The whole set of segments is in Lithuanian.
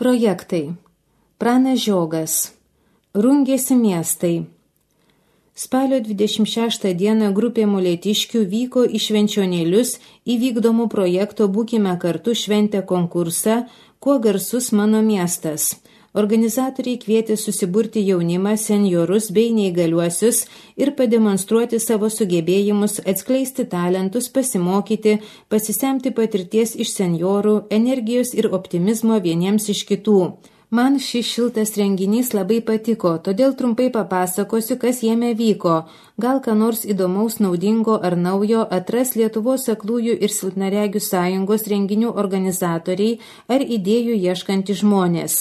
Projektai. Pranas Žiogas. Rungėsi miestai. Spalio 26 dieną grupė molėtiškių vyko į Švenčionėlius į vykdomų projekto Būkime kartu šventę konkursą Kuo garsus mano miestas. Organizatoriai kvietė susiburti jaunimą, senjorus bei neįgaliuosius ir pademonstruoti savo sugebėjimus, atskleisti talentus, pasimokyti, pasisemti patirties iš senjorų, energijos ir optimizmo vieniems iš kitų. Man šis šiltas renginys labai patiko, todėl trumpai papasakosiu, kas jame vyko. Gal ką nors įdomaus, naudingo ar naujo atras Lietuvos aklųjų ir silpnaregių sąjungos renginių organizatoriai ar idėjų ieškantys žmonės.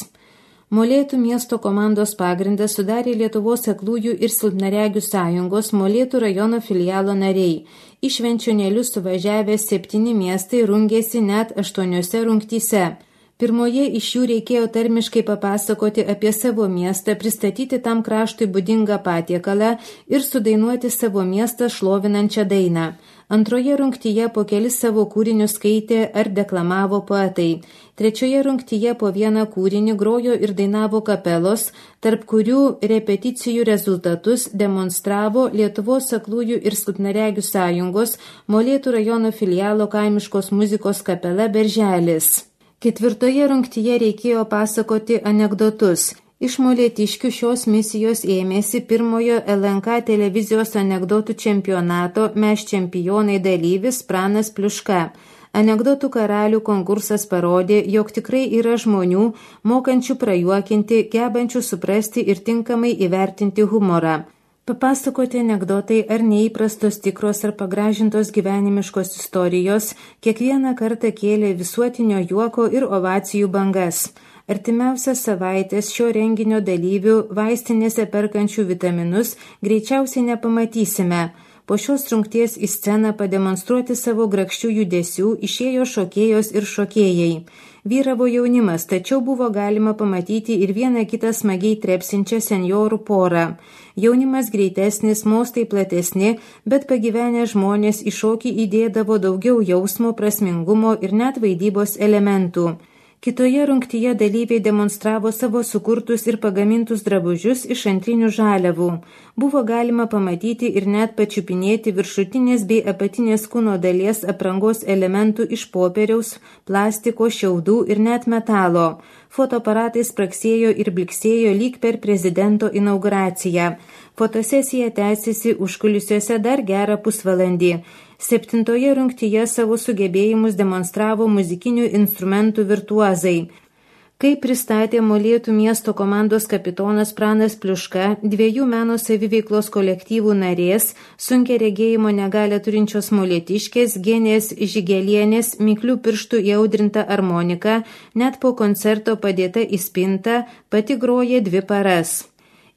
Molėtų miesto komandos pagrindą sudarė Lietuvos aklųjų ir silpnaregių sąjungos Molėtų rajono filialo nariai. Į Švenčionėlius suvažiavę 7 miestai rungėsi net 8 rungtyse. Pirmoje iš jų reikėjo tarmiškai papasakoti apie savo miestą, pristatyti tam kraštui būdingą patiekalą ir sudainuoti savo miestą šlovinančią dainą. Antroje rungtyje po kelis savo kūrinius skaitė ar deklamavo poetai. Trečioje rungtyje po vieną kūrinį grojo ir dainavo kapelos, tarp kurių repeticijų rezultatus demonstravo Lietuvos aklųjų ir silpnaregių sąjungos Molėtų rajono filialo kaimiškos muzikos kapela Berželis. Ketvirtoje rungtyje reikėjo pasakoti anekdotus. Iš molėtiškių šios misijos ėmėsi pirmojo LNK televizijos anekdotų čempionato Mes čempionai dalyvis Pranas Pliuška. Anekdotų karalių konkursas parodė, jog tikrai yra žmonių, mokančių prajuokinti, gebančių suprasti ir tinkamai įvertinti humorą. Papasakoti anekdotai ar neįprastos tikros ar pagražintos gyvenimiškos istorijos kiekvieną kartą kėlė visuotinio juoko ir ovacijų bangas. Artimiausias savaitės šio renginio dalyvių vaistinėse perkančių vitaminus greičiausiai nepamatysime. Po šios rungties į sceną pademonstruoti savo grakščių judesių išėjo šokėjos ir šokėjai. Vyravo jaunimas, tačiau buvo galima pamatyti ir vieną kitą smagiai trepsinčią senjorų porą. Jaunimas greitesnis, mostai platesni, bet pagyvenę žmonės į šokį įdėdavo daugiau jausmo, prasmingumo ir net vaidybos elementų. Kitoje rungtyje dalyviai demonstravo savo sukurtus ir pagamintus drabužius iš antrinių žaliavų. Buvo galima pamatyti ir net pačiupinėti viršutinės bei apatinės kūno dalies aprangos elementų iš popieriaus, plastiko, šiaudų ir net metalo. Fotoaparatai spragsėjo ir bliksėjo lyg per prezidento inauguraciją. Fotosesija tęsėsi užkulisiuose dar gerą pusvalandį. 7 rungtyje savo sugebėjimus demonstravo muzikinių instrumentų virtuozai. Kaip pristatė Molėtų miesto komandos kapitonas Pranas Pliuška, 2 meno saviveiklos kolektyvų narės, sunkia regėjimo negalią turinčios molėtiškės, Genės Žigelienės, miklių pirštų įaudrinta armonika, net po koncerto padėta į spintą, pati groja 2 paras.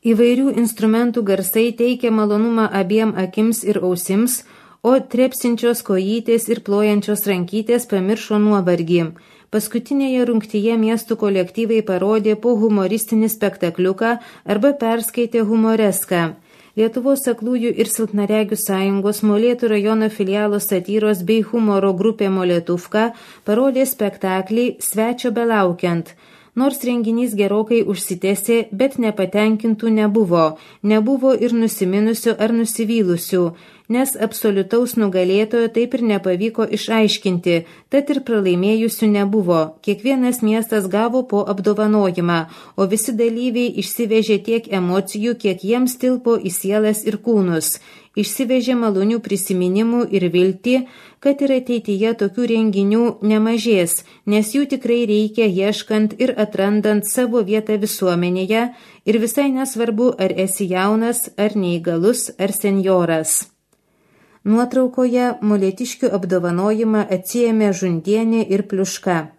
Įvairių instrumentų garsai teikia malonumą abiem akims ir ausims, o trepsinčios kojytės ir plojančios rankytės pamiršo nuovargį. Paskutinėje rungtyje miestų kolektyvai parodė po humoristinį spektakliuką arba perskaitė humoreską. Lietuvos aklųjų ir silpnaregių sąjungos Molėtų rajono filialo satyros bei humoro grupė Molėtuvka parodė spektaklį Svečio belaukiant. Nors renginys gerokai užsitęsė, bet nepatenkintų nebuvo. Nebuvo ir nusiminusių ar nusivylusių, nes absoliutaus nugalėtojo taip ir nepavyko išaiškinti, tad ir pralaimėjusių nebuvo. Kiekvienas miestas gavo po apdovanojimą, o visi dalyviai išsivežė tiek emocijų, kiek jiems tilpo į sielas ir kūnus. Išsivežė malonių prisiminimų ir viltį, kad ir ateityje tokių renginių nemažės, nes jų tikrai reikia ieškant ir atrandant savo vietą visuomenėje ir visai nesvarbu, ar esi jaunas, ar neįgalus, ar senjoras. Nuotraukoje molėtiškių apdovanojimą atsiėmė Žundienė ir Pliuška.